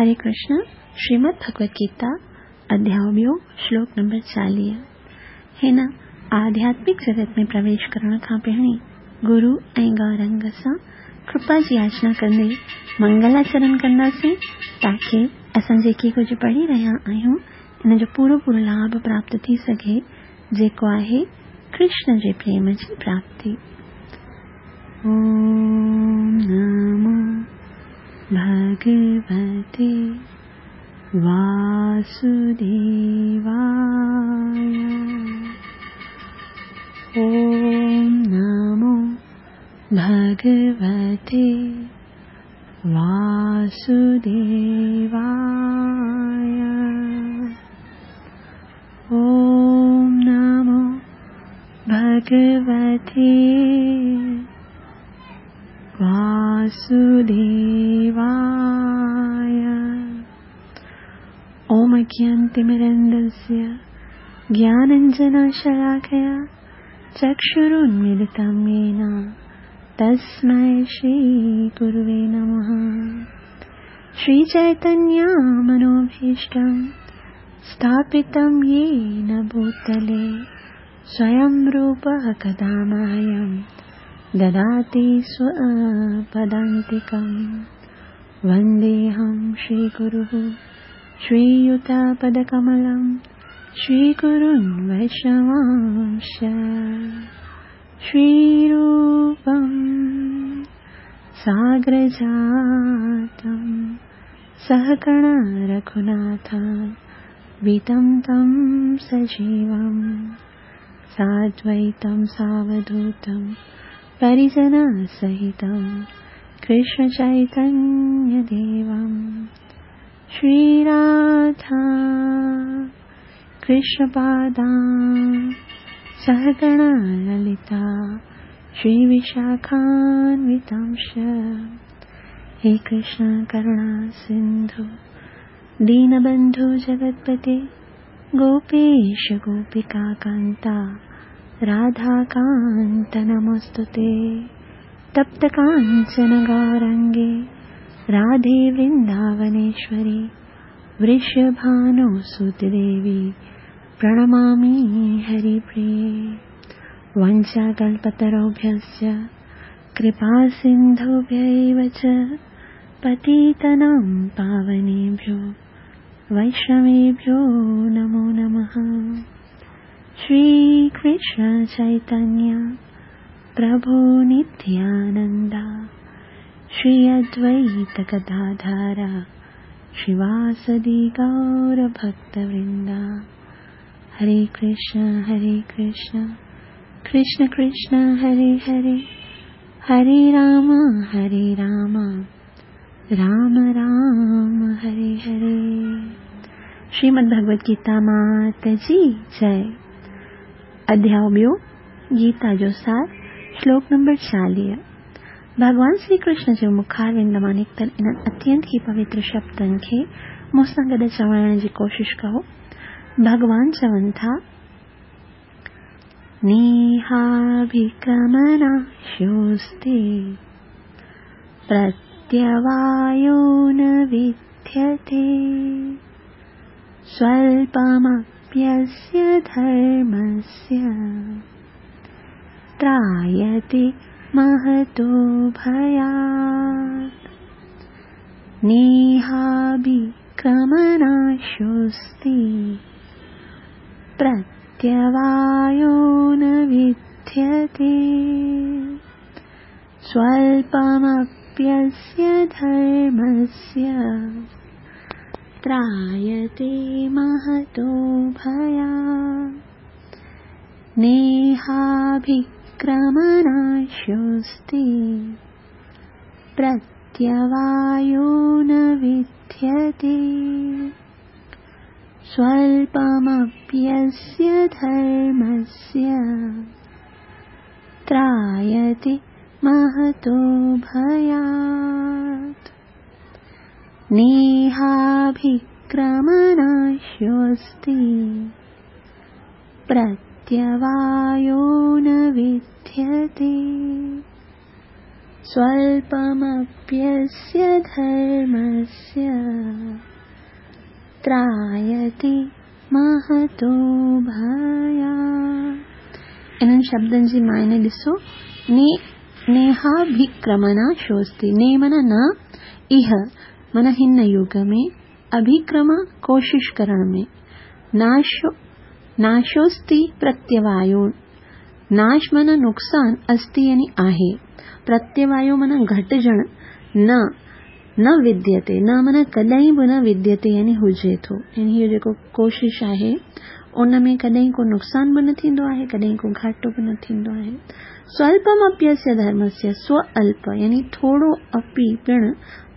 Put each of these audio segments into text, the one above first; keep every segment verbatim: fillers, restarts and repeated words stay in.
हरे कृष्ण। श्रीमद् भगवत गीता अध्याय ॿियो श्लोक नंबर चालीह। हिन आध्यात्मिक जगत में प्रवेश करण खां पहिरीं गुरु ऐं गौरंग सां कृपा जी याचना कंदे मंगलाचरण कंदासीं, ताकी असां जेके कुझु पढ़ी रहिया आहियूं इन जो पूरो पूरो लाभ प्राप्त थी सघे, जेको आहे कृष्ण जे प्रेम जी प्राप्ति। ओम नमो भगवते वासुदेवाय। ओम नमो भगवते वासुदेवाय। ओम नमो भगवते वासुदेवाय। ओम अज्ञानतिमिरन्दस्य ज्ञानाञ्जनशलाकया चक्षुरुन्मीलितं येन तस्मै श्रीगुरुवे नमः। श्रीचैतन्यमनोभीष्टं स्थापितं येन भूतले स्वयं रूपः कदा मह्यं ददाति स्वपदान्तिकं। वन्देऽहं श्रीगुरुः श्रीयुतपदकमलं श्रीगुरुन् वैष्णवांश्च। श्रीरूपं साग्रजातं सहगण रघुनाथं वितं तं सजीवं साद्वैतं सावधूतं परिजनसहितं कृष्णचैतन्यदेवं। श्रीराधा कृष्णपादां सहगण ललिता श्रीविशाखान्वितांश्च। हे कृष्ण करुणा सिन्धु दीनबन्धु जगत्पते गोपेश गोपिका कान्ता राधाकान्त नमोऽस्तुते। तप्त काञ्चन गौरङ्गे राधे वृन्दावनेश्वरी वृषभानुसुते देवी प्रणमामि हरिप्रिये। वञ्चाकल्पतरुभ्यश्च कृपासिन्धुभ्यैव च पतितानां पावनेभ्यो वैष्णवेभ्यो नमो नमः। श्रीकृष्ण चैतन्य प्रभु नित्यानन्द श्री अद्वैत गदाधर श्रीवासदि गौरभक्तवृन्द। हरे कृष्ण हरे कृष्ण कृष्ण कृष्ण हरे हरे, हरे राम हरे राम राम राम हरे हरे। श्रीमद् भगवत गीता मात जी जय। अध्याय ॿियो गीता जो सार श्लोक नंबर चालीह। भॻवान श्री कृष्ण जे मुखारविंद मां निकितल इन्हनि अत्यंत ई पवित्र शब्दनि खे मूंसां गॾु चवण जी कोशिश कयो। भॻवान चवनि था, नेहाभिक्रमनाशोऽस्ति प्रत्यवायो न विद्यते स्वल्पमप्यस्य धर्मस्य त्रायते महतो भयात्। नेहाभिक्रमनाशोऽस्ति प्रत्यवायो न विद्यते स्वल्पमप्यस्य धर्मस्य त्रायते महतो भयात्। नेहाभिक्रमनाशोऽस्ति प्रत्यवायो न विद्यते स्वल्पमप्यस्य धर्मस्य त्रायते महतो भयात्। नेहाभिक्रमनाशोऽस्ति प्रत्यवायो न विद्यते स्वल्पमप्यस्य धर्मस्य त्रायते महतो भयात्। इन्हनि शब्दनि जी मायने ॾिसो, ने नेहाभिक्रमनाशोऽस्ति। ने माना न, इह माना हिन युग में, अभिक्रम कोशिश करण में, नाशो नाशोऽस्ति प्रत्यवायो, नाश माना नुक़सान, अस्ति यानी आहे, प्रत्यवायो माना घटिजण, न न विद्यते, न माना कॾहिं बि न विद्यते यानी हुजे थो। यानी हीअ जेको कोशिश आहे उन में कॾहिं को नुक़सान बि न थींदो आहे, कॾहिं को घाटो बि न थींदो आहे। स्वल्पमप्यस्य धर्मस्य, स्व अल्प यानी थोरो अपि पिण,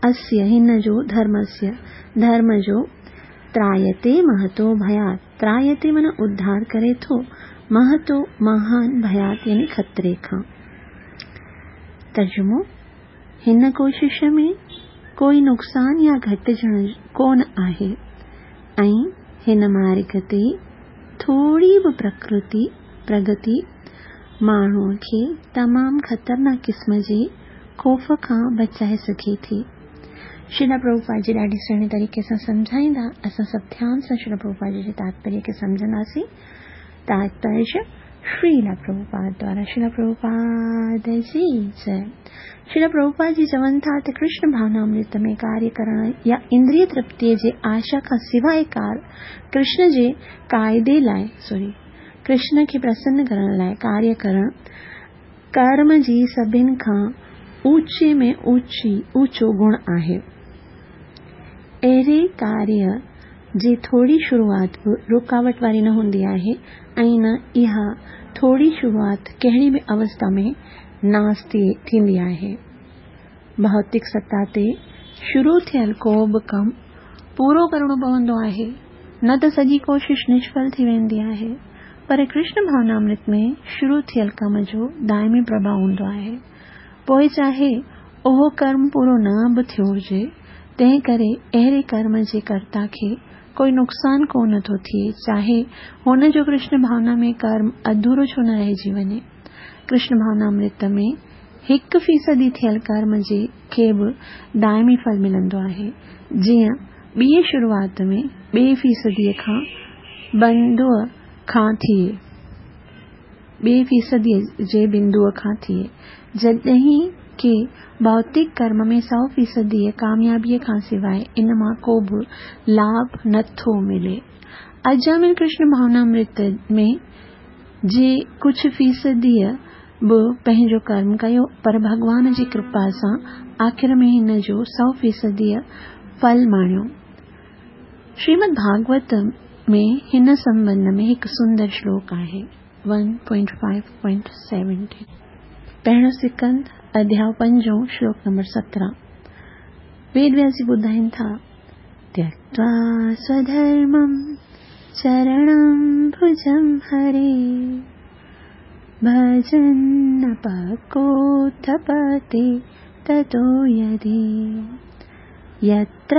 अस्य हिन जो, धर्मस्य धर्म जो, त्रायते महतो भयात्, त्रायते माना उद्धार करे थो, महतो महान, भयात् यानी ख़तरे खां। तर्जुमो, हिन कोशिश में कोई नुक़सान या घटिजण कोन आहे ऐं हिन मार्ग ते थोरी बि प्रकृति प्रगति माण्हूअ खे तमामु ख़तरनाक क़िस्म जे ख़ौफ़ खां बचाए सघे थी। श्रील प्रभुपाद जी ॾाढी सुहिणे तरीक़े सां सम्झाईंदा, असां सभु ध्यान सां श्रील प्रभुपाद जी जे तात्पर्य खे सम्झंदासीं। तात्पर्य श्रील प्रभुपाद द्वारा। श्रील प्रभुपाद जी जय। श्रील प्रभुपाद जी चवनि था त कृष्ण भावनामृत में कार्य करण या इंद्रिय तृप्तीअ जे आशा खां सवाइ कार कृष्ण जे क़ाइदे लाइ सॉरी कृष्ण खे प्रसन्न करण लाइ कार्य करण कर्म जी सभिनि खां ऊंचे में ऊंची ऊंचो गुण आहे। अहिड़े कार्य जी थोरी शुरूआत बि रुकावट वारी न हूंदी आहे ऐं न इहा थोरी शुरूआत कहिड़ी बि अवस्था में नास थींदी आहे। भौतिक सतह ते शुरू थियल को बि कमु पूरो करिणो पवंदो आहे, न त सॼी कोशिश निष्फल थी वेंदी आहे। पर कृष्ण भावनामृत में शुरू थियल कम जो दाइमी प्रभाव हूंदो आहे, पोइ चाहे उहो कर्म पूरो न बि थियो हुजे, तंहिं करे अहिड़े कर्म जे कर्ता खे कोई नुक़सान कोन थो थिए, चाहे हुन जो कृष्ण भावना में कर्म अधूरो छो न रहिजी वञे। कृष्ण भावनामृत में हिकु फ़ीसदी थियल कर्म जे खे बि दाइमी फल मिलंदो आहे, जीअं ॿीअ शुरूआत में ॿिए फ़ीसदीअ खां बिंदूअ खां थिए ॿिए फ़ीसदीअ जे बिंदूअ खां थिए, जॾहिं की भौतिक कर्म में सौ फ़ीसदीअ कामयाबीअ खां सवाइ इन मां को बि लाभ नथो मिले। अजामिल कृष्ण भावनामृत में जे कुझु फ़ीसदीअ बि पंहिंजो कर्म कयो, पर भॻवान जी कृपा सां आख़िर में हिन जो सौ फ़ीसदीअ फल माणियो। श्रीमद् भागवत में हिन संबंध में हिकु सुंदर श्लोक आहे one point five point seventeen, पहिरियों सिकंद अध्याय पंजों श्लोक नंबर सत्रहं। वेद व्यास जी ॿुधाइनि था, त्यक्त्वा स्वधर्मं चरणं भुजं हरे भजन् पकोत्थपते ततो यदि यत्र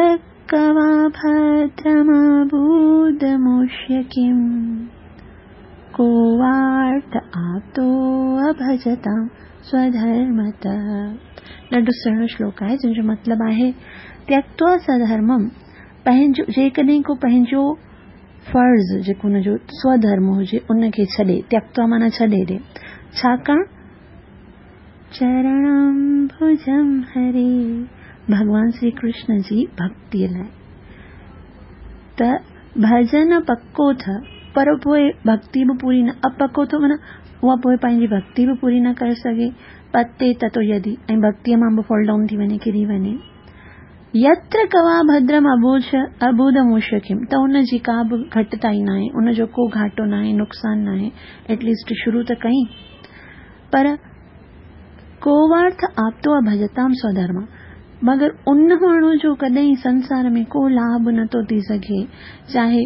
कवा भद्रमबूदमुष्य किम् को वार्थ आप्तो अभजतां स्वधर्मतः। ॾाढो सुहिणो श्लोक आहे, जंहिंजो मतिलबु आहे त्यक्त्वा स्वधर्मं, पंहिंजो जेकॾहिं को पंहिंजो फ़र्ज़ जेको हुनजो स्वधर्म हुजे उनखे छॾे, त्यक्त्वा माना छॾे ॾे, छाकाणि चरणं भुजं हरे भॻवान श्री कृष्ण जी भक्तीअ लाइ त भजन पको त पर पोइ भक्ति बि पूरी न, अपको थो माना उहा पोइ पंहिंजी भक्ति बि पूरी न करे सघे, पते ततो यदि ऐं भक्तीअ मां बि फॉल डाउन थी वञे, किरी वञे। यत्र कवा भद्रम अबूझ अबूदमुष्य किम, त उनजी का बि घटिताई न आहे, उनजो को घाटो न आहे, नुक़सान न आहे, एटलीस्ट शुरू त कई। पर कोवार्थ आप्तो भजताम स्वधर्म, मगर उन माण्हू जो कॾहिं संसार में को लाभ नथो थी सघे, चाहे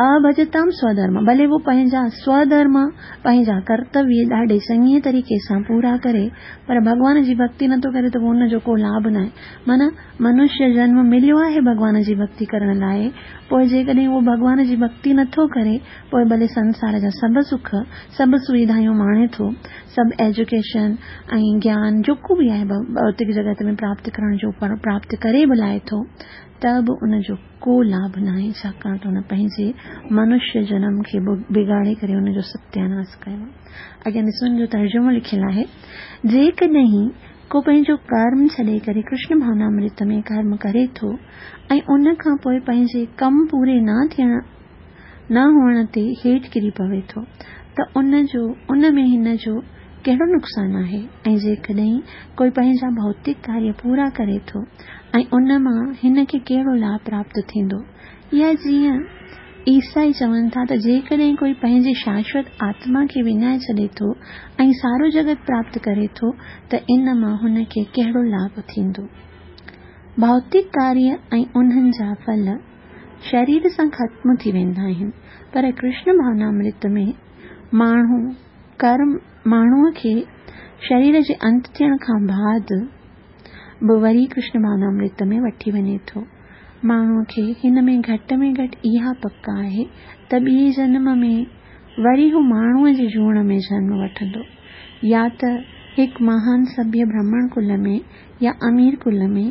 अभजताम स्वधर्म, भले वो पंहिंजा स्वधर्म पंहिंजा कर्तव्य ॾाढे चङे तरीक़े सां पूरा करे, पर भॻवान जी भक्ति नथो करे त पोइ उनजो को लाभ न आहे। माना मनुष्य जन्म मिलियो आहे भॻवान जी भक्ति करण लाइ, पोइ जेकॾहिं उहो भॻवान जी भक्ति नथो करे, पोइ भले संसार जा सभु सुख सभु सुविधायूं माणे थो, सभु एजुकेशन ऐं ज्ञान जेको बि आहे भौतिक जगत में प्राप्त करण जो प्राप्त करे बि लाहे थो, त ته به ان جو ڪو لاڀ ناهي، ڇاڪاڻ ته هن پنهنجي منشيه جنم کي بگاڙي ڪري ان جو ستياناس ڪيو. اڳيان ڏسو ان جو ترجمو لکيل آهي، جيڪڏهن ڪو پنهنجو ڪرم ڇڏي ڪري ڪرشن ڀاونامرت ۾ ڪرم ڪري ٿو ۽ ان کان پوء پنهنجي ڪم پوري نه ٿيڻ نه هئڻ تي هيٺ ڪري پوي ٿو ته ان جو ان ۾ هن جو ڪهڙو نقصان آهي؟ ۽ جيڪڏهن ڪوئي پنهنجا ڀوتڪ ڪاريه پورا ڪري ٿو ۽ ان مان هن کي ڪهڙو لاڀ پراپت ٿيندو؟ يا جيئن عيسائي چون ٿا ته جيڪڏهن ڪوئي پنهنجي شاشوت آتما کي وڃائي ڇڏي ٿو ۽ سارو جڳت پراپت ڪري ٿو ته ان مان هن کي ڪهڙو لاڀ ٿيندو؟ ڀوتڪ ڪاريه ۽ انهن جا ڦل شرير سان ختم ٿي ويندا آهن، پر ڪرشن ڀاونامرت ۾ ماڻهو ڪرم ماڻهوء کي شرير جي انت ٿيڻ کان بعد به وري ڪرشن ڀاونامرت ۾ وٺي وڃي ٿو. ماڻهوء کي هن ۾ گهٽ ۾ گهٽ اها پڪ آهي ته ٻئي جنم ۾ وري هو ماڻهوء جي جوڻ ۾ جنم وٺندو، يا ته هڪ مهان سڀيه برهمڻ ڪل ۾ يا امير ڪل ۾،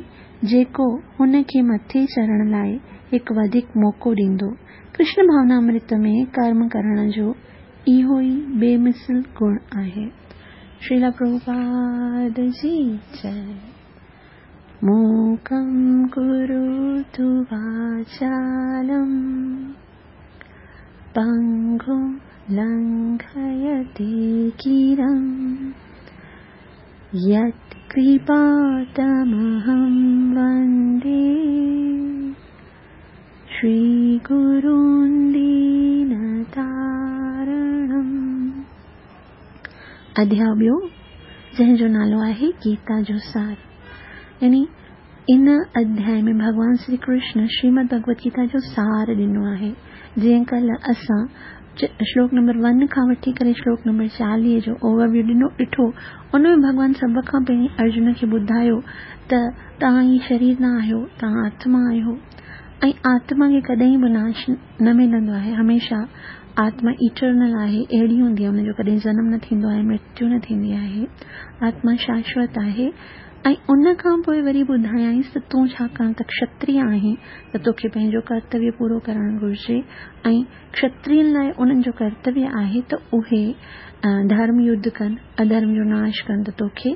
جيڪو هن کي مٿي چڙهڻ لاء هڪ وڌيڪ موقعو ڏيندو. ڪرشن ڀاونامرت ۾ ڪرم ڪرڻ جو اهو ئي بي مثل گڻ آهي. شريلا پرڀوپاد جي جئي. موڪم ڪروتु واچالم پنگم لنگهيتي گرم يت ڪرپا تمهم وندي شري گرون دينتارڻم. اڌياء ٻيو، جنهن جو نالو آهي گيتا جو سار. يعني ان اڌياء ۾ ڀڳوان شري ڪرشن شريمد ڀڳوت گيتا جو سار ڏنو آهي. جيئن ڪلهه اسان شلوڪ نمبر ون کان وٺي ڪري شلوڪ نمبر چاليهه جو اوور ويو ڏنو ڏٺو، ان ۾ ڀڳوان سڀ کان پهرين ارجن کي ٻڌايو ته توهان هي شرير نه آهيو، توهان آتما آهيو ۽ آتما کي ڪڏهن به ناش نه ملندو آهي، هميشه آتما ايٽرنل آهي، اهڙي هوندي آهي، ان جو ڪڏهن جنم نه ٿيندو آهي، مرتيو نه ٿيندي آهي، آتما شاشوت آهي. ۽ ان کان پوء وري ٻڌايائينس ته تون ڇاڪاڻ ته ڪشتريه آهين ته توکي پنهنجو ڪرتويه پورو ڪرڻ گهرجي ۽ ڪشترين لاء انهن جو ڪرتويه آهي ته اهي ڌرم يڌ ڪن، اڌرم جو ناش ڪن، ته توکي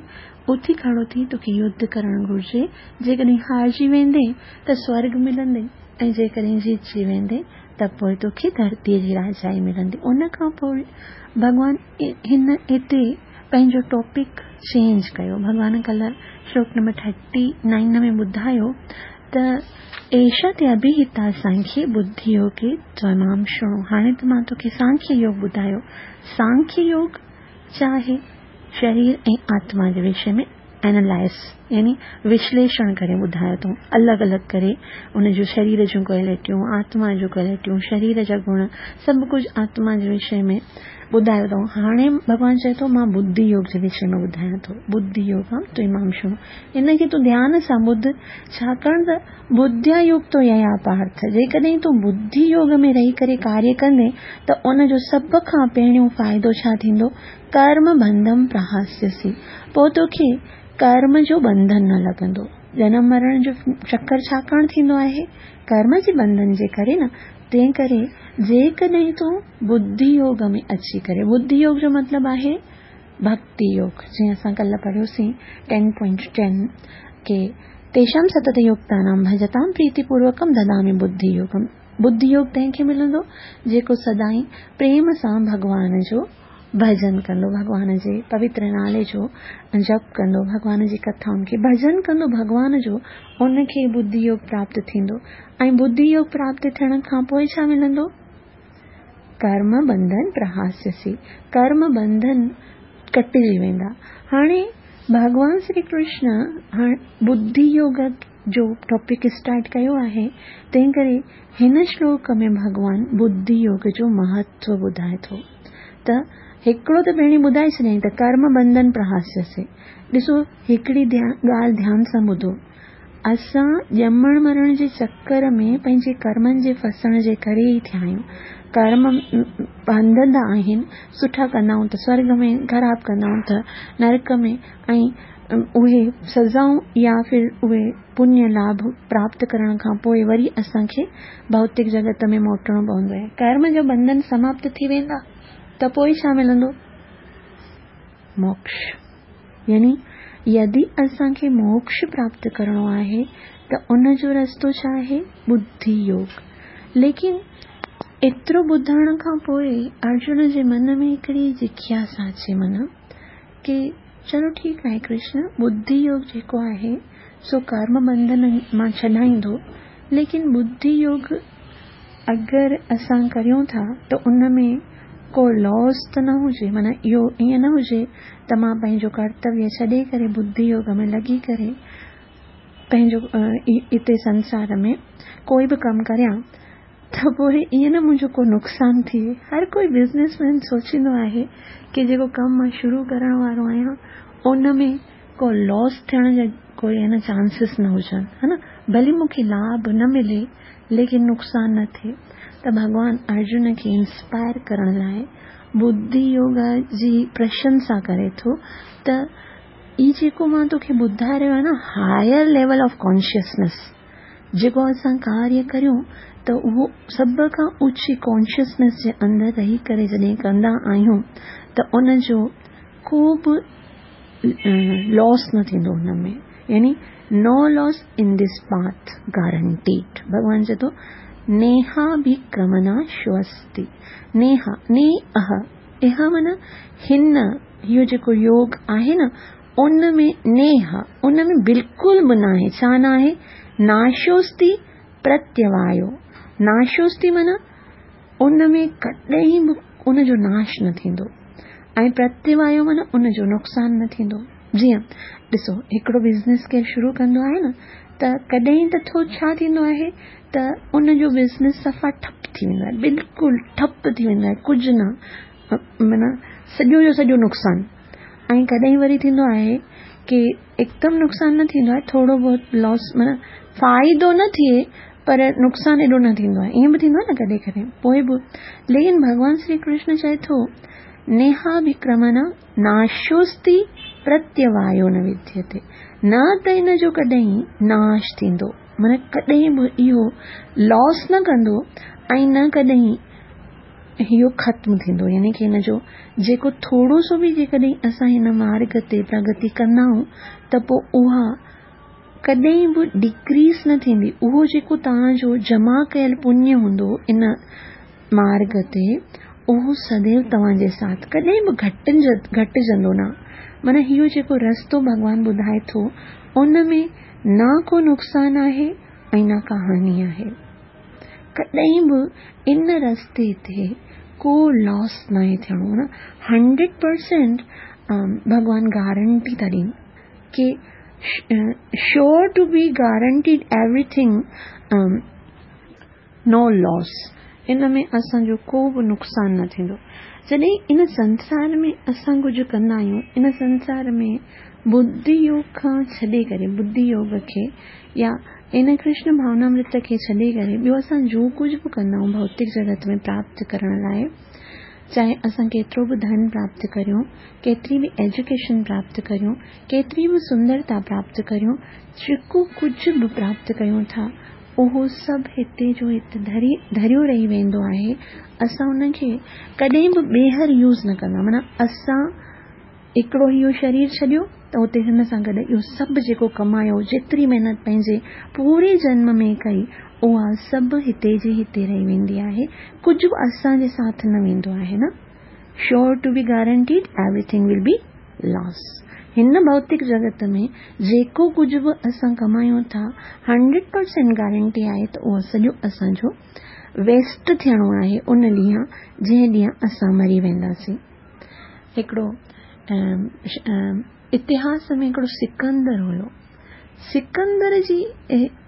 اٿي کڙو ٿي توکي يڌ ڪرڻ گهرجي. جيڪڏهن هارجي ويندين ته سورڳ ملندئي ۽ جيڪڏهن جيتجي ويندين ته پوء توکي ڌرتيء جي راجائي ملندي. ان کان پوء ڀڳوان هن هتي پنهنجو ٽاپڪ چينج ڪيو. ڀڳوان ڪلهه شلوڪ نمبر ٿرٽي نائن ۾ ٻڌايو ته ايشا تي اڀيهتا سانکيه ٻڌي يوگي تمام شڻو. هاڻي ته مان توکي سانکيه يوگ ٻڌايو. سانکيه يوگ ڇا آهي؟ شرير ۽ آتما جي وشي ۾ اينالائز يعني وشليشڻ ڪري ٻڌايو اٿئون، الڳ الڳ ڪري ان جون شرير جون ڪوالٽيون، آتما جون ڪوالٽيون، شرير جا گڻ، سڀ ڪجهه آتما جي وشي ۾ ٻڌايو اٿئون. هاڻي ڀڳوان چئي ٿو مان ٻڌي يوگ جي وشي ۾ ٻڌايان ٿو. ٻڌي يوگم تمام شڻو، ان کي تون ڌيان سان ٻڌ، ڇاڪاڻ ته ٻڌيا يڪتو ييا پارٿ، جيڪڏهن تون ٻڌي يوگ ۾ رهي ڪري ڪاريه ڪندين ته ان جو سڀ کان پهريون فائدو ڇا ٿيندو؟ ڪرم بنڌم پرهاسيسي، پوء توکي ڪرم جو ٻنڌن نه لڳندو. جنم مرڻ جو چڪر ڇاڪاڻ ٿيندو آهي؟ ڪرم جي ٻنڌن جي ڪري نه. تنهن ڪري جيڪڏهن تون ٻڌي يوگ ۾ اچي ڪري، ٻڌي يوگ جو مطلب آهي ڀڪتي يوگ، جيئن اسان ڪلهه پڙهيوسين ٽين پوائنٽ ٽين ڪي تيشام ستت يوڪتانام ڀجتام پريتي پوروڪم ددامي ٻڌي يوگم. ٻڌي يوگ تنهن کي ملندو جيڪو سدائين پريم سان ڀڳوان جو ڀڄن ڪندو، ڀڳوان جي پوتر نالي جو جپ ڪندو، ڀڳوان جي ڪٿائن کي ڀڄن ڪندو، ڀڳوان جو، ان کي ٻڌي يوگ پراپت ٿيندو. ۽ ٻڌي يوگ پراپت ٿيڻ کان پوء ڇا ملندو؟ ڪرم ٻنڌن پرهاسيسي، ڪرم ٻنڌن ڪٽجي ويندا. هاڻي ڀڳوان شري ڪرشن هاڻي ٻڌي يوگ جو ٽاپڪ اسٽارٽ ڪيو آهي، تنهن ڪري هن شلوڪ ۾ ڀڳوان ٻڌي يوگ جو مهتو ٻڌائي ٿو. ته هڪڙو ته پهرين ٻڌائي ڇڏيائين ته ڪرم ٻنڌن پرهاسيسي. ڏسو هڪڙي ڳالهه ڌيان سان ٻڌو، اسان ڄمڻ مرڻ جي چڪر ۾ پنهنجي ڪرمن جي ڦسڻ جي ڪري ئي ٿيا آهيون. ڪرم ٻڌندا آهن، سٺا ڪندا آهيون ته سورڳ ۾، خراب ڪندا آهيون ته نرڪ ۾، ۽ उहे सज़ाऊं या फिर उहे पुण्य लाभ प्राप्त करण खां पोइ वरी असांखे भौतिक जगत में मोटणो पवंदो आहे। कर्म जो बंधन समाप्त थी वेंदा त पोइ छा मिलंदो? मोक्ष। यानी यदि असांखे मोक्ष प्राप्त करणो आहे त उन जो रस्तो छा आहे? बुद्धि योग। लेकिन एतिरो ॿुधण खां पोइ अर्जुन जे मन में हिकिड़ी जिज्ञासा अचे मन की चलो ठीकु आहे कृष्ण, बुद्धि योग जेको आहे सो कर्म बंधन मां छॾाईंदो, लेकिन बुद्धि योग अगरि असां करियूं था त उन में को लॉस त न हुजे, माना इहो ईअं न हुजे त मां पंहिंजो कर्तव्य छॾे करे बुद्धि योग में लॻी करे पंहिंजो हिते संसार में कोई बि कमु करियां त पोइ ईअं न मुंहिंजो को नुक़सानु थिए। हर कोई बिज़नेसमैन सोचींदो आहे की जेको कमु मां शुरू करण वारो आहियां उन में को लॉस थियण जा कोई है न चांसिस न हुजनि, है न, भली मूंखे लाभ न मिले लेकिन नुक़सानु न थिए। त भॻवान अर्जुन खे इंस्पायर करण लाइ बुद्धि योग जी प्रशंसा करे थो त ई जेको मां तोखे ॿुधाए रहियो आहियां न, हायर लेवल ऑफ कॉन्शियसनेस, जेको असां कार्य करियूं त उहो सभ खां ऊची कॉन्शियसनेस जे अंदरि रही करे जॾहिं कंदा आहियूं त उनजो को बि लॉस न थींदो हुन में, यानी no loss in this path guaranteed. भॻवान चए थो नेहा भिक्रमनाशोऽस्ति। नेहा ने अह इहा माना हिन, इहो जेको योग आहे न उन में नेहा, उन में बिल्कुलु बि न आहे। छा न आहे? नाशोस्ति प्रत्यवायो। नाशोस्ति माना उन में कॾहिं बि उनजो नाश न थींदो ऐं प्रत्यवायो माना उनजो नुक़सानु न थींदो। जीअं ॾिसो हिकिड़ो बिज़नेस केरु शुरू कंदो आहे न त कॾहिं त थो छा थींदो आहे त उनजो बिज़नेस सफ़ा ठप थी वेंदो आहे, बिल्कुलु ठप थी वेंदो आहे, कुझु न, माना सॼो जो सॼो नुक़सानु। ऐं कॾहिं वरी थींदो आहे की एकदमि नुक़सानु न थींदो आहे, थोरो बहुत लॉस माना फ़ाइदो न थिए पर नुक़सानु एॾो न थींदो आहे, ईअं बि थींदो आहे न कॾहिं कॾहिं पोइ बि। लेकिन भॻवान श्री कृष्ण चए थो नेहाभिक्रमण नाशोस्ति प्रत्यवायो न विद्यते, न त इन जो कॾहिं नाश थींदो, माना कॾहिं बि इहो लॉस न कंदो ऐं न कॾहिं इहो ख़त्मु थींदो। यानी की हिन जो जेको थोरो सो बि जेकॾहिं असां हिन मार्ग ते प्रगति कंदा आहियूं त पोइ उहा कॾहिं बि डिक्रीज़ न थींदी। उहो जेको तव्हांजो जमा कयल पुण्य हूंदो इन मार्ग ते उहो सदैव तव्हांजे साथ कॾहिं बि घटिज घटिजंदो न। माना इहो जेको रस्तो भॻवान ॿुधाए थो उन में न को नुक़सानु आहे ऐं न का हानि आहे। कॾहिं बि इन रस्ते ते को लॉस न आहे थियणो न। हंड्रेड परसेंट भॻवान गारंटी था ॾियनि की sure to be guaranteed everything, no loss. इन में असांजो को बि नुक़सानु न थींदो। जॾहिं इन संसार में असां कुझु कंदा आहियूं, इन संसार में बुद्धि योग खां छॾे करे, बुद्धि योग खे या इन कृष्ण भावनामृत खे छॾे करे ॿियो असां जो कुझु बि कंदा आहियूं भौतिक जगत में प्राप्त करण लाइ, चाहे असां केतिरो बि धन प्राप्त करियूं, केतिरी बि एजुकेशन प्राप्त करियूं, केतिरी बि सुंदरता प्राप्त करियूं, जेको कुझु बि प्राप्त कयूं था उहो सभु हिते जो हिते धरी धरियो रही वेंदो आहे। असां उनखे कॾहिं बि ॿीहर यूज़ न कंदा। माना असां हिकिड़ो इहो शरीर छॾियो त उते हिन सां गॾु इहो सभु जेको कमायो, जेतिरी महिनत पंहिंजे पूरे जन्म में कई, उहा सभु हिते जे हिते रही वेंदी आहे। कुझु बि असांजे साथ न वेंदो आहे न। Sure to be guaranteed everything will be loss. हिन भौतिक जगत में जेको कुझु बि असां कमायूं था, हंड्रेड परसेंट गारंटी आहे त उहो सॼो असांजो वेस्ट थियणो आहे उन ॾींहुं जंहिं ॾींहुं असां मरी वेंदासीं। हिकिड़ो इतिहास में हिकिड़ो सिकंदर हुयो। सिकंदर जी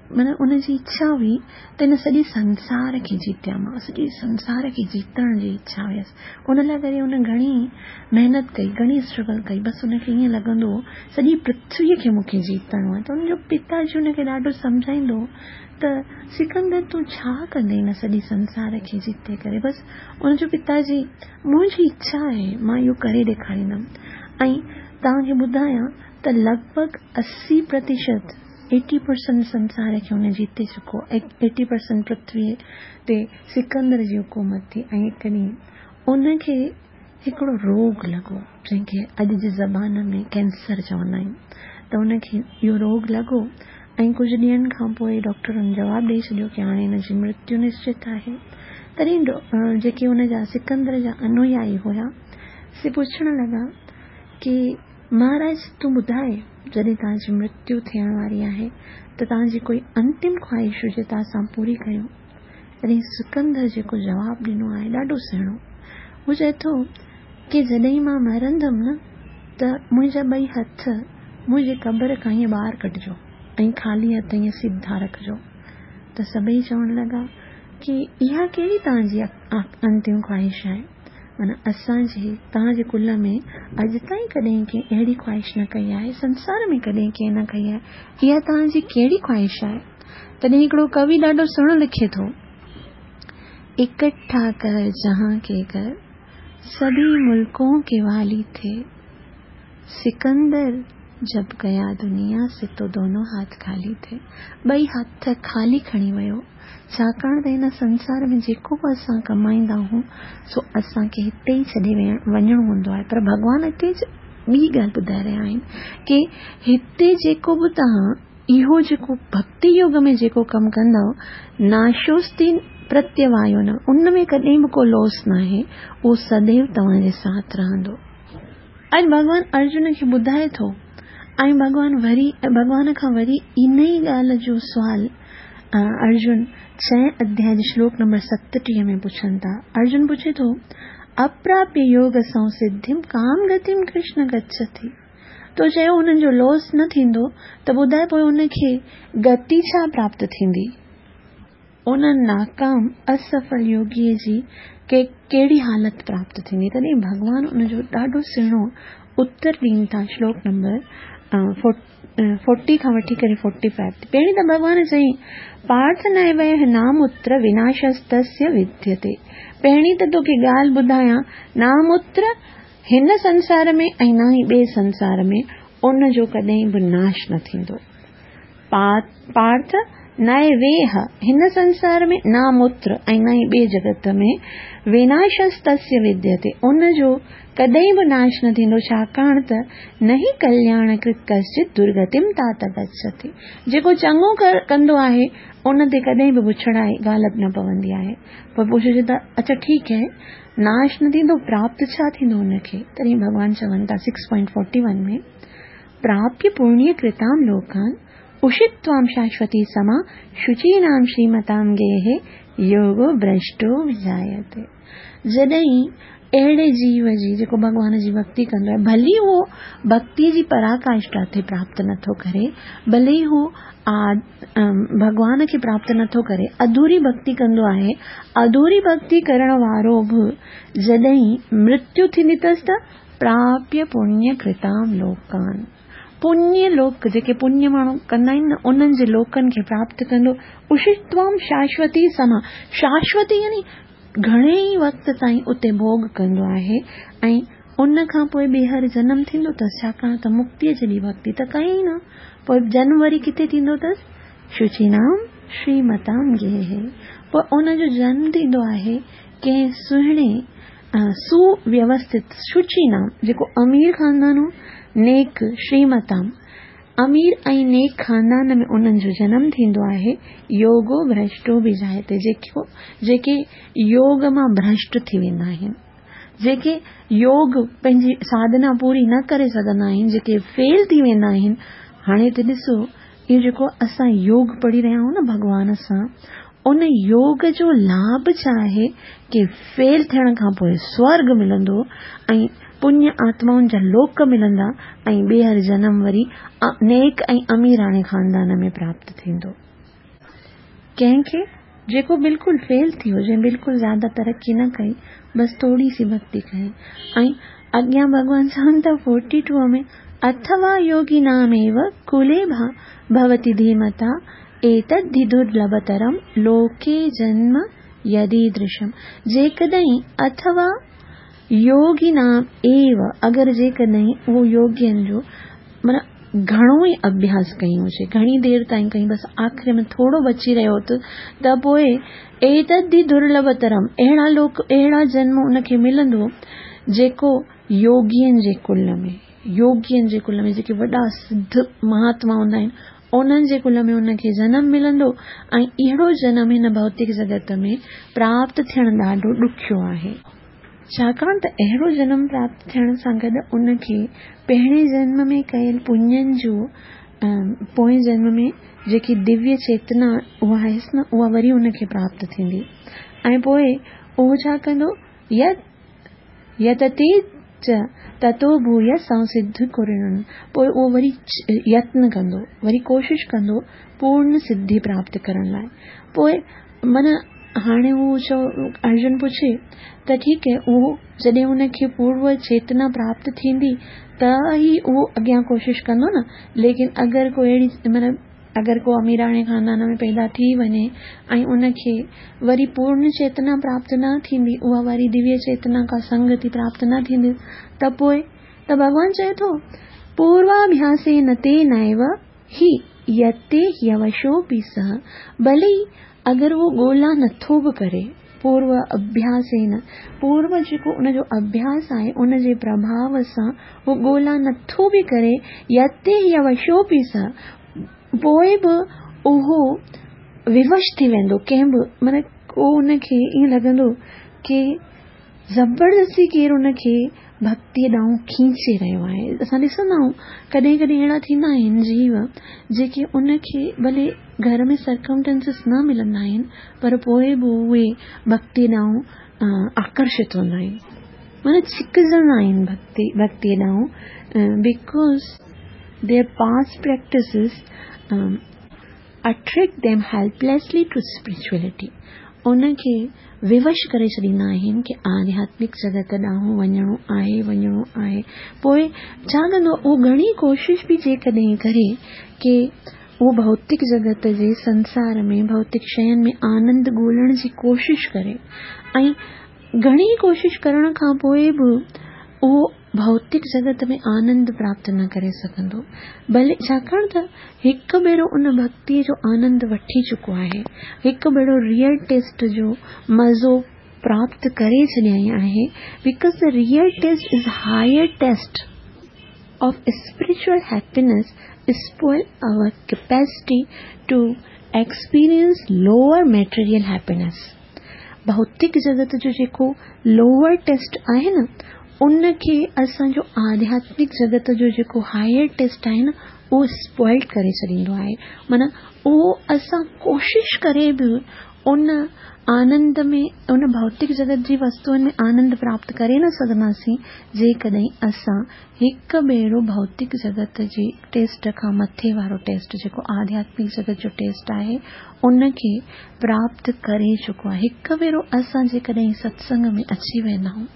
माना उनजी इच्छा हुई त हिन सॼे संसार खे जीतियां मां, सॼे संसार खे जीतण जी इच्छा हुयसि। उन लाइ करे हुन घणी महिनत कई, घणी स्ट्रगल कई। बसि हुनखे ईअं लॻंदो हो सॼी पृथ्वीअ खे मूंखे जीतणो आहे। त हुनजो पिताजी हुनखे ॾाढो सम्झाईंदो हो त सिकंदर तूं छा कंदे हिन सॼे संसार खे जीते करे। बसि हुनजो पिताजी, मुंहिंजी इच्छा आहे, मां इहो करे ॾेखारींदमि। ऐं तव्हांखे ॿुधायां त लॻभॻ अस्सी प्रतिशत एटी परसेंट संसार खे हुन जीते चुको। एटी परसेंट पृथ्वीअ ते सिकंदर जी हुकूमत थी। ऐं हिकु ॾींहुं उनखे हिकिड़ो रोग लॻो, जंहिंखे अॼु जी ज़बान में कैंसर चवंदा आहिनि। त उनखे इहो रोग लॻो ऐं कुझु ॾींहंनि खां पोइ डॉक्टरनि जवाबु ॾेई छॾियो की हाणे हिन जी मृत्यु निश्चित आहे। तॾहिं जेके हुनजा सिकंदर जा अनुयायी हुया से पुछण लॻा की महाराज तूं ॿुधाए, जॾहिं तव्हांजी मृत्यु थियण वारी आहे त तव्हांजी कोई अंतिम ख़्वाहिश हुजे त असां पूरी कयूं। तॾहिं सिकंदर जेको जवाबु ॾिनो आहे ॾाढो सुहिणो। हू चए थो की जॾहिं मां मरंदमि न त मुंहिंजा ॿई हथ मुंहिंजे क़बर खां ईअं ॿाहिरि कढिजो ऐं ख़ाली हथ ईअं सिधा रखिजो। त सभई चवण लॻा की इहा कहिड़ी तव्हांजी अंतिम ख़्वाहिश आहे? माना असांजे तव्हांजे कुल में अॼु ताईं कॾहिं कंहिं अहिड़ी ख़्वाहिश न कई आहे, संसार में कॾहिं कंहिं न कई आहे, इहा तव्हांजी कहिड़ी ख़्वाहिश आहे? तॾहिं हिकिड़ो कवि ॾाढो सुहिणो लिखे थो, इकट्ठा कर जहां के कर सभी मुल्कों के वाली थे, सिकंदर जब गया दुनिया से तो दोनों हाथ खाली थे। ॿई हथ खाली खणी वियो, छाकाणि त हिन संसार में जेको बि असां कमाईंदा आहियूं सो असांखे हिते ई छॾे वञिणो हूंदो आहे। पर भॻवान हिते ॿी ॻाल्हि ॿुधाए रहिया आहिनि की हिते जेको बि तव्हां इहो जेको भक्ति योग में जेको कमु कंदव, नाशोस्ति प्रत्यवायो न, उन में कॾहिं बि को लॉस न आहे, उहो सदैव तव्हांजे साथ रहंदो। अॼु भॻवान अर्जुन खे ॿुधाए थो ऐं भॻवान वरी भॻवान खां वरी इन ई ॻाल्हि जो सुवाल अर्जुन छह अध्याय जे श्लोक नंबर सतटीह में पुछनि था। अर्जुन पुछे थो, अप्राप्य योग संसिद्धिम काम गतिम कृष्ण गच्छति। तो चयो हुननि जो लॉस न थींदो त ॿुधाए पोइ उनखे गति छा प्राप्त थींदी? उन नाकाम असफल योगीअ जी के कहिड़ी हालत प्राप्त थींदी? तॾहिं भॻवान उनजो ॾाढो सुहिणो उत्तर ॾीनि था श्लोक नंबर फोर्टी खां वठी करे फोर्टी फाइव ते। पहिरीं त भॻवान चयईं, पार्थ नैव नामुत्र विनाशस्तस्य विद्यते। पहिरीं त तोखे ॻाल्हि ॿुधायां, नामुत्र हिन संसार में ऐं न ई ॿिए संसार में उन जो कॾहिं बि नाश न थींदो। पार्थ नैवेह हिन संसार में नामुत्र ऐं न ई ॿिए जगत में विनाशस्तस्य विद्यते, उन जो कॾहिं बि नाश न थींदो, छाकाणि त न ई कल्याणकृत कश्चित दुर्गतिम तात गच्छति। जेको चङो कंदो आहे उन ते कॾहिं बि बुछड़ाई ग़ालिब न पवंदी आहे। पोइ पुछिजे त अच्छा ठीक है, नाश न थींदो, प्राप्त छा थींदो उनखे? तॾहिं भॻवान चवनि था सिक्स पॉइंट फोर्टी वन में, प्राप्य पुण्यकृताम लोकान उषित्वाम शाश्वती समा शुचीनाम श्रीमताम गेहे योगो भ्रष्टो विजायते। जॾहिं अहिड़े जीव जी जेको भॻवान जी भक्ति कंदो आहे, भली उहो भक्ति जी पराकाष्ठा ते प्राप्त नथो करे, भले ई हू भॻवान खे प्राप्त नथो करे, अधूरी भक्ति कंदो आहे, अधूरी भक्ति करण वारो बि जॾहिं मृत्यु थींदी अथसि त प्राप्य पुण्यकृताम लोकान, पुण्य लोक जेके पुण्य माण्हू कंदा आहिनि न उन्हनि जे लोकनि खे प्राप्त कंदो। उषित्वाम शाश्वती समा, शाश्वती यानी घणे ई वक़्त ताईं उते भोग कंदो आहे ऐं उन खां पोइ ॿीहर जनम थींदो अथसि, छाकाणि त मुक्तीअ जेॾी भक्ति त कई न, पोइ जन्म वरी किथे थींदो अथसि? शुचीनाम श्रीमताम गेहे। पोइ उनजो जन्म थींदो आहे कंहिं सुहिणे सुव्यवस्थित शुचीनाम, जेको अमीर ख़ानदान हो, नेक श्रीमताम, अमीर ऐं नेक ख़ानदान में उन्हनि जो जनम थींदो आहे। योगो भ्रष्टो बि जायते, जेको जेके योग मां भ्रष्ट थी वेंदा आहिनि, जेके योग पंहिंजी साधना पूरी न करे सघंदा आहिनि, जेके फेल थी वेंदा आहिनि। हाणे त ॾिसो इहो जेको असां योग पढ़ी रहिया आहियूं न भॻवान सां, उन योग जो लाभ छा आहे की फेल थियण खां पोइ स्वर्ग मिलंदो ऐं पुण्य आत्माउनि जा लोक मिलंदा ऐं ॿीहर जनम वरी नेक ऐं अमीराणे ख़ानदान में प्राप्त थींदो। कंहिंखे जेको बिल्कुलु फेल थी वियो, जंहिं बिल्कुलु ज़्यादा तरक़ी न कई, बसि थोरी सी भक्ति कई। ऐं अॻियां भॻवान चवनि था फोर्टी टू में, अथवा योगिनामेव कुले भवति धीमता एतद्धि दुर्लभतरम लोके जन्म यदीदृशम। जेकॾहिं अथवा योगिनाम एव, अगरि जेकॾहिं उहो योगियनि जो माना घणो ई अभ्यास कयूं हुजे, घणी देरि ताईं कई, बसि आख़िरी में थोरो बची रहियो त त पोइ एतद्धि दुर्लभतरम, अहिड़ा लोक, अहिड़ा जन्म उनखे मिलंदो जेको योगियनि जे कुल में, योगियनि जे कुल में जेके वॾा सिद्ध महात्मा हूंदा आहिनि उन्हनि जे कुल में उनखे जनम मिलंदो। ऐं अहिड़ो जनम हिन भौतिक जगत में प्राप्त थियणु ॾाढो ॾुखियो आहे, छाकाणि त अहिड़ो जनम प्राप्त थियण सां गॾु उनखे पहिरें जन्म में कयल पुण्यनि जो, पोएं जन्म में जेकी दिव्य चेतना उहा आहिसि न, उहा वरी उनखे प्राप्त थींदी। ऐं पोइ उहो छा कंदो, यतते च ततो भूय संसिद्ध कुरुण, पोइ उहो वरी यत्न कंदो, वरी कोशिश कंदो पूर्ण सिद्धि प्राप्त करण लाइ। पोइ माना हाणे उहो चओ, अर्जुन पुछे त ठीकु आहे, उहो जॾहिं उनखे पूर्व चेतना प्राप्त थींदी त ई उहो अॻियां कोशिश कंदो न, लेकिन अगरि को अहिड़ी माना अगरि को अमीराणे ख़ानदान में पैदा थी वञे ऐं उनखे वरी पूर्ण चेतना प्राप्त न थींदी, उहा वरी दिव्य चेतना का संगति प्राप्त न थींदी, त पोइ त भॻवान चए थो पूर्वाभ्यासे न तेनैव हि यते ह्यवशोऽपि सः, भले अगरि उहो ॻोल्हा नथो बि करे, पूर्व अभ्यासेन, पूर्व जेको उनजो अभ्यास आहे उनजे प्रभाव सां उहो ॻोल्हा नथो बि करे, यते ह्यवशोऽपि सः, पोइ बि उहो विवश थी वेंदो, कंहिं बि माना को उनखे ईअं लॻंदो की ज़बरदस्ती केरु उनखे भक्तीअ ॾांहुं खींचे रहियो आहे। असां ॾिसंदा आहियूं कॾहिं कॾहिं अहिड़ा थींदा आहिनि जीव जेके उनखे भले घर में सर्कमटेंसिस न मिलंदा आहिनि, पर पोइ बि उहे भक्ति ॾांहुं आकर्षित हूंदा आहिनि, माना छिकजंदा आहिनि भक्ति भक्तीअ ॾांहुं, because their past practices attract them helplessly to spirituality, उनखे विवश करे छॾींदा आहिनि की आध्यात्मिक जगत ॾांहुं वञिणो आहे, वञिणो आहे। पोइ छा कंदो, उहो घणी कोशिश बि जेकॾहिं करे की उहो भौतिक जगत जे संसार में भौतिक शयुनि में आनंद ॻोल्हण जी कोशिश करे, ऐं घणी कोशिश करण खां पोइ बि उहो भौतिक जगत में आनंद प्राप्त न करे सघंदो, भले छाकाणि त हिकु भेरो उन भक्तीअ जो आनंद वठी चुको आहे, हिकु भेरो रियल टेस्ट जो मज़ो प्राप्त करे छॾियईं आहे, because the real taste is higher taste of spiritual happiness spoil our capacity to experience lower material happiness. भौतिक जगत जो जेको लोअर टेस्ट आहे न, उनखे असांजो आध्यात्मिक जगत जो जेको हायर टेस्ट आहे न, उहो स्पॉइल करे छॾींदो आहे। माना उहो असां कोशिश करे बि उन आनंद में, उन भौतिक जगत जी वस्तुअनि में आनंद प्राप्त करे न सघंदासीं, जेकॾहिं असां हिकु भेरो भौतिक जगत जे टेस्ट खां मथे वारो टेस्ट जेको आध्यात्मिक जगत जो टेस्ट आहे उनखे प्राप्त करे चुको आहे। हिकु भेरो असां जेकॾहिं सत्संग में अची वेंदा आहियूं,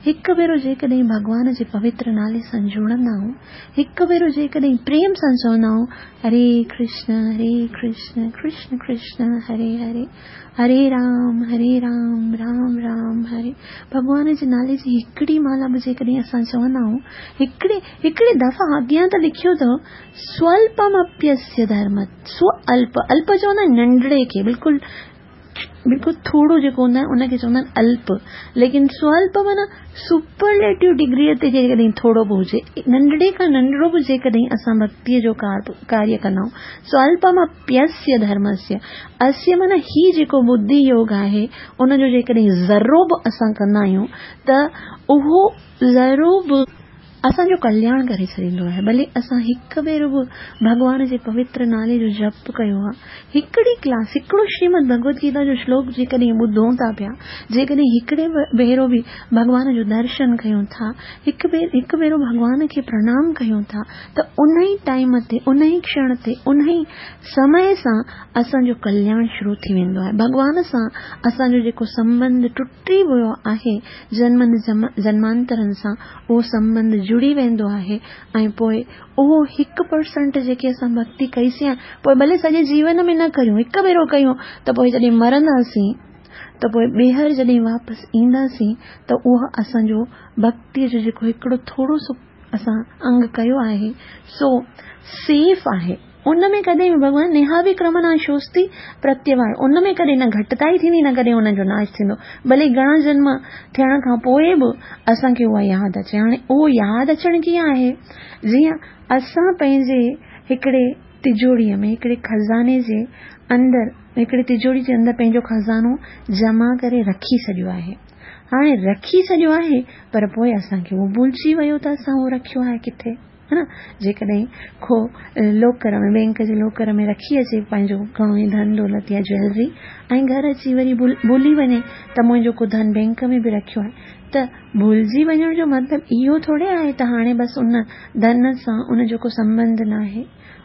हिकु भेरो जेकॾहिं भॻवान जे पवित्र नाले सां जुड़ंदा आहियूं, हिकु भेरो जेकॾहिं प्रेम सां चवंदा आहियूं हरे कृष्ण हरे कृष्ण कृष्ण कृष्ण हरे हरे, हरे राम हरे राम राम राम हरे, भॻवान जे नाले जी हिकिड़ी माला बि जेकॾहिं असां चवंदा आहियूं, हिकिड़े हिकिड़े दफ़ा अॻियां त लिखियो अथव स्वल्पमप्यस्य धर्म, स्व अल्प, अल्प चवंदा आहिनि नंढड़े खे, बिल्कुलु बिल्कुलु थोरो जेको हूंदो आहे उनखे चवंदा आहिनि अल्प, लेकिन स्वल्प माना सुपरलेटिव डिग्रीअ ते जेकॾहिं थोरो बि हुजे, नंढड़े खां नंढड़ो बि जेकॾहिं असां भक्तीअ जो कार्य कंदा आहियूं, स्वल्पमप्यस्य धर्मस्य, अस्य माना हीउ जेको बुद्धि योग आहे उनजो जेकॾहिं ज़रो बि असां कंदा आहियूं त उहो ज़रो बि असांजो कल्याण करे छॾींदो आहे। भले असां हिकु भेरो बि भॻवान जे पवित्र नाले जो जप कयो आहे, हिकिड़ी क्लास, हिकिड़ो श्रीमद भगवत गीता जो श्लोक जेकॾहिं ॿुधूं था पिया, जेकॾहिं हिकिड़े भेरो बि भॻवान जो दर्शन कयूं था, हिकु भेरो हिकु भेरो भॻवान खे प्रणाम कयूं था, त उन ई टाइम ते, उन ई क्षण ते, उन ई समय सां असांजो कल्याण शुरू थी वेंदो आहे। भॻवान सां असांजो जेको संबंध टुटी वियो आहे जन्मनि जन्मांतरनि सां, उहो संबंध जुड़ी वेंदो आहे। ऐं पोइ उहो हिकु परसेंट जेकी असां भक्ति कईसीं, पोइ भले सॼे जीवन में न करियूं, हिकु भेरो कयूं त पोइ जॾहिं मरंदासीं त पोइ ॿीहर जॾहिं वापसि ईंदासीं त उहा असांजो भक्तीअ जो जेको हिकिड़ो थोरो सो असां अंग कयो आहे सो सेफ़ आहे। उन में कॾहिं बि भॻवान नेहाभिक्रमनाशोस्ति प्रत्यवाय, उन में कॾहिं न घटिताई थींदी न कॾहिं उनजो नाश थींदो। भले घणा जन्म थियण खां पोइ बि असांखे उहा यादि अचे। हाणे उहो यादि अचणु कीअं आहे? जीअं असां पंहिंजे हिकिड़े तिजोरीअ में, हिकिड़े ख़ज़ाने जे अंदरि, हिकिड़े तिजोरी जे अंदरि पंहिंजो ख़ज़ानो जमा करे रखी छॾियो आहे। हाणे रखी छॾियो आहे पर पोइ असांखे उहो भुलिजी वियो त असां उहो रखियो आहे किथे, है न। जेकॾहिं को लोकर में, बैंक जे लोकर में रखी अचे पंहिंजो घणो ई धन दौलत या ज्वेलरी ऐं घर अची वरी भुली वञे त मुंहिंजो को धन बैंक में बि रखियो आहे, त भुलिजी वञण जो मतिलबु इहो थोरे आहे त हाणे बसि उन धन सां उनजो को संबंध न आहे।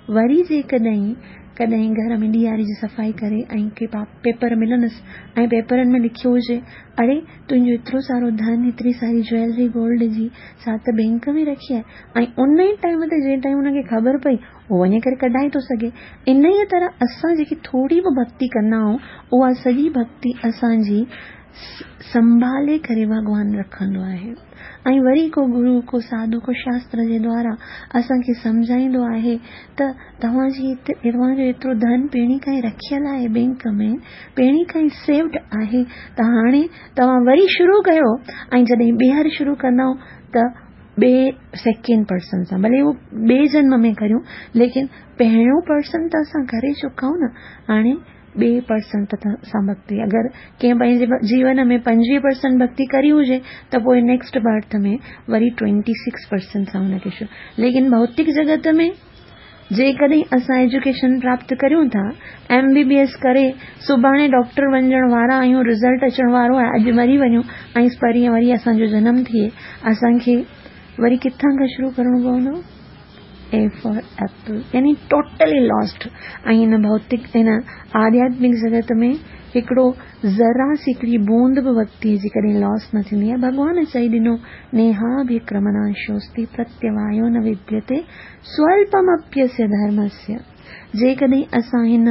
वरी जेकॾहिं कॾहिं घर में ॾियारी जी सफ़ाई करे ऐं के पेपर मिलनसि ऐं पेपरनि में लिखियो हुजे, अड़े तुंहिंजो एतिरो सारो धन, एतिरी सारी ज्वेलरी गोल्ड जी सा त बैंक में रखी आहे, ऐं उन ई टाइम ते जंहिं टाइम हुनखे ख़बर पई उहो वञी करे कढाए थो सघे। इन ई तरह असां जेकी थोरी बि भक्ति कंदा आहियूं उहा सॼी भक्ति असांजी संभाले करे भॻवान रखंदो आहे। ऐं वरी को गुरू, को साधू, को शास्त्र जे द्वारा असांखे सम्झाईंदो आहे त तव्हांजी तव्हांजो एतिरो धन पहिरीं खां ई रखियल आहे बैंक में, पहिरीं खां ई सेव्ड आहे, त हाणे तव्हां वरी शुरू कयो ऐं जॾहिं ॿीहर शुरू कंदव त ॿिए सेकेंड पर्सन सां, भले उहो ॿिए जन्म में करियूं, लेकिन पहिरियों पर्सन त असां करे चुका आहियूं न। हाणे ॿिए परसेंट सां भक्ति, अगरि कंहिं पंहिंजे जीवन में पंजवीह परसेंट भक्ति करी हुजे त पोइ नेक्स्ट बर्थ में worry twenty six percent सां हुनखे शुरू। लेकिन भौतिक जगत में जेकॾहिं असां एजुकेशन प्राप्त करियूं था, एम बी बी एस करे सुभाणे डॉक्टर वञण वारा आहियूं, रिज़ल्ट अचण वारो आहे, अॼु मरी वञूं ऐं परींअ वरी असांजो जनम थिए, असांखे वरी किथां खां शुरू करिणो पवंदो? ए फॉर एप्पल, यानी टोटली लॉस्ट। ऐं हिन भौतिक, हिन आध्यात्मिक जगत में हिकिड़ो ज़रा सी हिकिड़ी बूंद बि भक्तीअ जी कॾहिं लॉस न थींदी आहे। भॻवान चई ॾिनो, नेहाभिक्रमनाशोस्ति प्रत्यवायो न विद्यते स्वल्पमप्यस्य धर्मस्य। जेकॾहिं असां हिन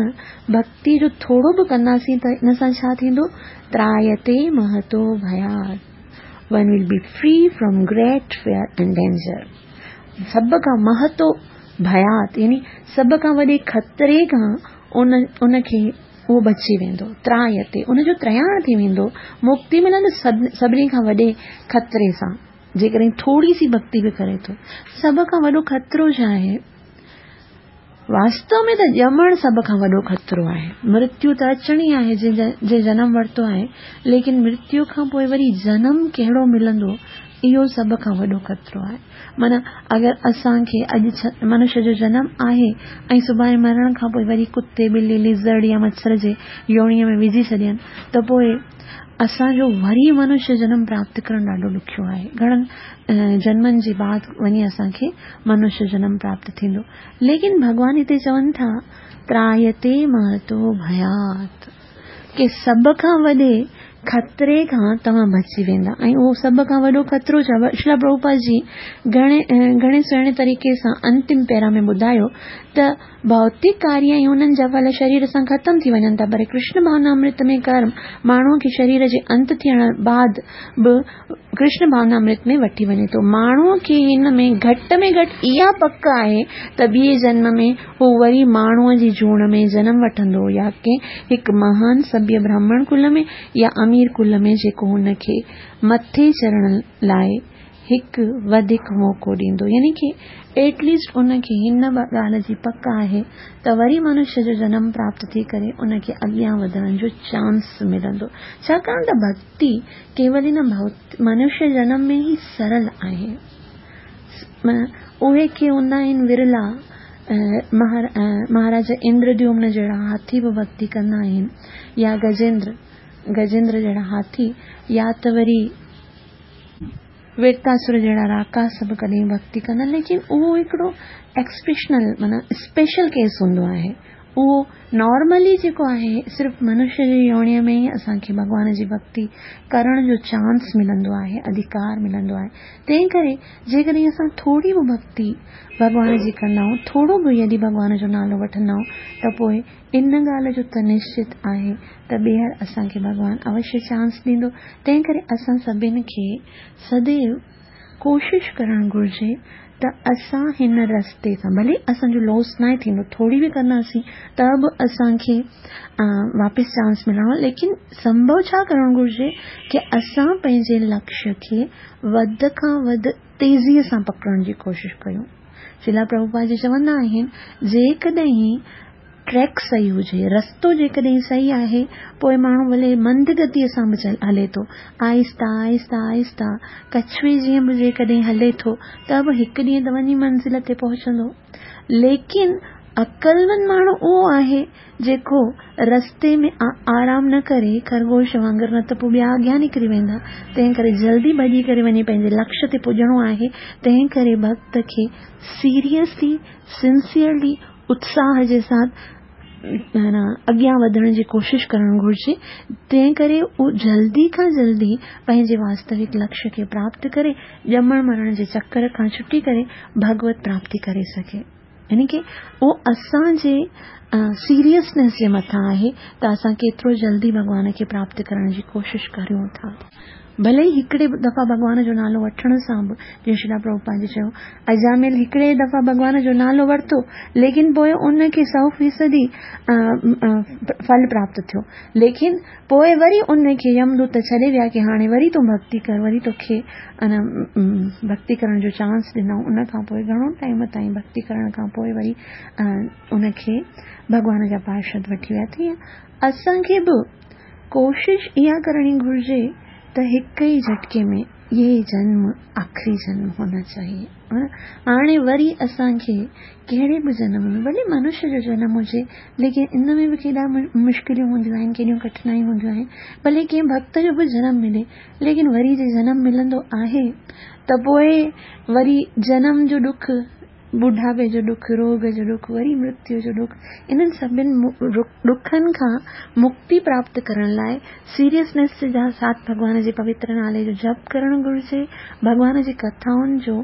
भक्ति जो थोरो बि कंदासीं त हिन सां छा थींदो? त्रायते महतो भयात्, one will be free from great fear and danger. सभ खां महतो भयात यानी सभ खां वॾे ख़तरे खां उन उनखे उहो बची वेंदो। त्रायते उनजो त्रयाण थी वेंदो, मुक्ति मिलंदो सभिनी खां वॾे ख़तरे सां। जेकॾहिं थोरी सी भक्ति बि करे थो। सभ खां वॾो ख़तरो छा आहे? वास्तव में त ॼमण सभ खां वॾो ख़तरो आहे। मृत्यु त अचणी आहे जंहिं जनम वरितो आहे, लेकिन मृत्यु खां पोइ वरी जनम कहिड़ो मिलंदो इहो सभ खां वॾो ख़तरो आहे। माना अगरि असांखे अॼु मनुष्य जो जनम आहे ऐं सुभाणे मरण खां पोइ वरी कुते, बिल्ली, लिज़र्ड या मच्छर जे योणीअ में विझी छॾियनि त पोइ असांजो वरी मनुष्य जनम प्राप्त करणु ॾाढो ॾुखियो आहे। घणनि जन्मनि जे बाद वञी असांखे मनुष्य जनम प्राप्त थींदो। लेकिन भॻवान हिते चवनि था, त्रायते महतो भयात्, के सभ खां वॾे ख़तरे खां तव्हां बची वेंदा। ऐं उहो सभ खां वॾो ख़तरो छा? श्रील प्रभुपाद जी घणे घणे सुहिणे तरीक़े सां अंतिम पैरा में ॿुधायो त भौतिक कार्य ऐं उन्हनि जा फल शरीर सां ख़तमु थी वञनि था, पर कृष्ण भावनामृत में कर्म माण्हूअ खे शरीर जे अंत थियण बाद बि कृष्ण भावनामृत में वठी वञे थो। माण्हूअ खे हिन में घटि में घटि इहा पक आहे त ॿिए जन्म में हू वरी माण्हूअ जी जूण में जनम वठंदो, या कंहिं हिकु महान सभ्य ब्राह्मण कुल में या अमीर कुल में, जेको हुनखे मथे चढ़ण लाइ हिकु वधीक मौक़ो ॾींदो। यानी की एटलीस्ट उनखे हिन ॻाल्हि जी पक आहे त वरी मनुष्य जो जनम प्राप्त थी करे उनखे अॻियां वधण जो चांस मिलंदो। छाकाणि त भक्ति केवल हिन मनुष्य जनम में ई सरल आहे। उहे के हूंदा आहिनि विरला, महाराजा इंद्रद्युम्न जहिड़ा हाथी बि भक्ति कंदा आहिनि, या गजेंद्र गजेंद्र जहिड़ा हाथी, या त वरी वृत्तासुर जहिड़ा राकास बि कॾहिं भक्ति कंदा आहिनि। लेकिन उहो हिकिड़ो एक्सेप्शनल माना स्पेशल केस हूंदो आहे। اهو نارملي جيڪو آهي صرف منشيه جي يونيءَ ۾ ئي اسان کي ڀڳوان جي ڀڳتي ڪرڻ جو چانس ملندو آهي، اڌڪار ملندو آهي. تنهن ڪري جيڪڏهن اسان ٿوري به ڀڳتي ڀڳوان جي ڪندا آهيون، ٿورو به يدي ڀڳوان جو نالو وٺندا آهيون ته پوءِ ان ڳالهه جو ته نشچت آهي ته ٻيهر اسان کي ڀڳوان اوشيه چانس ڏيندو. تنهن ڪري اسان سڀني کي سديو ڪوشش ڪرڻ گهرجي ته اسان هن رستي سان ڀلي اسان جو لاس نه ٿيندو، ٿوري به ڪنداسين ته به اسان کي واپس چانس ملڻو، ليڪن سنڀو ڇا ڪرڻ گهرجي ڪه اسان پنهنجي لڪشيه کي وڌ کان وڌ تيزيءَ سان پڪڙڻ جي ڪوشش ڪيون. شريلا پرڀوپاد جي چوندا آهن جيڪڏهن ٽريڪ صحيح هجي، رستو جيڪڏهن صحيح آهي، پوءِ ماڻهو ڀلي مند گتيءَ سان به هلي ٿو، آهستا آهستا آهستا ڪڇوي جيئن به جيڪڏهن هلي ٿو ته به هڪ ڏينهن ته وڃي منزل تي پهچندو. ليڪن عقلمند ماڻهو اهو آهي جيڪو رستي ۾ آرام نه ڪري خرگوش وانگر، نه ته پوءِ ٻيا اڳيان نڪري ويندا. تنهن ڪري جلدي ڀڄي ڪري وڃي پنهنجي لڪشيه تي پڄڻو آهي. تنهن ڪري ڀڳت کي سيريسلي سنسيئرلي اتساهه جي ساٿ اڳيان وڌڻ جي ڪوشش ڪرڻ گهرجي. تنهن ڪري اهو جلدي کان جلدي پنهنجي واستوڪ لڪشيه کي پراپت ڪري ڄمڻ مرڻ جي چڪر کان ڇٽي ڪري ڀڳوت پراپتي ڪري سگهي. يعني ڪه اهو اسان جي سيريسنيس جي مٿان آهي ته اسان ڪيترو جلدي ڀڳوان کي پراپت ڪرڻ جي ڪوشش ڪريون ٿا. ڀلي ئي هڪڙي دفعا ڀڳوان جو نالو وٺڻ سان به، جيئن شريلا پرڀوپاد جي چيو اجامل هڪڙي دفعا ڀڳوان جو نالو ورتو، ليڪن پوءِ ان کي سؤ فيصدي ڦل پراپت ٿيو، ليڪن پوءِ وري ان کي يمدوت ڇڏي ويا ڪه هاڻي وري تون ڀڳتي ڪر، وري توکي ڀڳتي ڪرڻ جو چانس ڏنئون. ان کان پوءِ گهڻو ٽائيم تائين ڀڳتي ڪرڻ کان پوءِ وري ان کي ڀڳوان جا پارشد وٺي ويا. تيئن اسان کي به ڪوشش اها ڪرڻي گهرجي ته هڪ ئي جهٽڪي ۾ اهي جنم آخري جنم هونا چاهيي. هاڻي وري اسان کي ڪهڙي به جنم ۾ ڀلي منشيه جو جنم هجي، ليڪن ان ۾ به ڪيڏا مشڪليون هونديون آهن، ڪيڏيون ڪٺنايون هونديون آهن. ڀلي ڪنهن ڀڳت جو به جنم ملي، ليڪن وري جي جنم ملندو آهي ته پوءِ وري جنم جو ڏک، ٻڍاپي جو ڏک، روڳ جو ڏک، وري مرتيو جو ڏک، انهن سڀني ڏکن کان مڪتي پراپت ڪرڻ لاءِ سيريسنيس جا ساٿ ڀڳوان جي پوتر نالي جو جپ ڪرڻ گهرجي، ڀڳوان جي ڪٿائن جو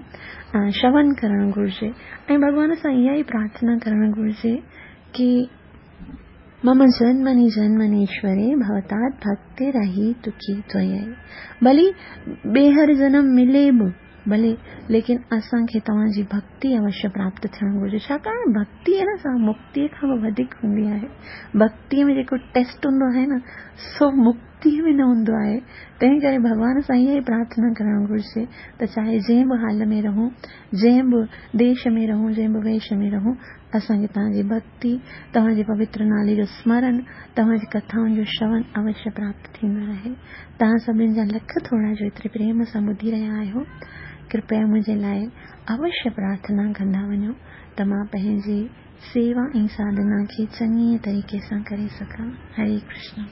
شرون ڪرڻ گهرجي ۽ ڀڳوان سان اها ئي پرارٿنا ڪرڻ گهرجي ڪه مم جنمني جنمنيشوري ڀوتات ڀڪتي رهي تکي त्वयि. ڀلي ٻيهر جنم ملي به ڀلي، ليڪن اسان کي توهان جي ڀڪتي اوشيه پراپت ٿيڻ گهرجي. ڇاڪاڻ ڀڪتي نه سا مڪتيءَ کان به وڌيڪ هوندي آهي. ڀڪتيءَ ۾ جيڪو ٽيسٽ هوندو آهي نه سو مڪتيءَ ۾ نه هوندو آهي. تنهن ڪري ڀڳوان سان اها ئي پرارٿنا ڪرڻ گهرجي ته چاهي جنهن به حال ۾ رهون، جنهن به ديش ۾ رهون، جنهن به ويش ۾ رهون، اسان کي توهان جي ڀڪتي، توهان جي پوتر نالي جو سمرڻ، توهان جي ڪٿائن جو شرون اوشيه پراپت ٿيندو رهي. توهان سڀني جا لک ٿورا جو ايتري پريم سان ٻڌي رهيا آهيو. ڪرپيا منهنجي لاءِ اوشيه پرارٿنا ڪندا وڃو ته مان پنهنجي سيوا ۽ ساڌنا کي چڱي طريقي سان ڪري سگهان. هري ڪرشن.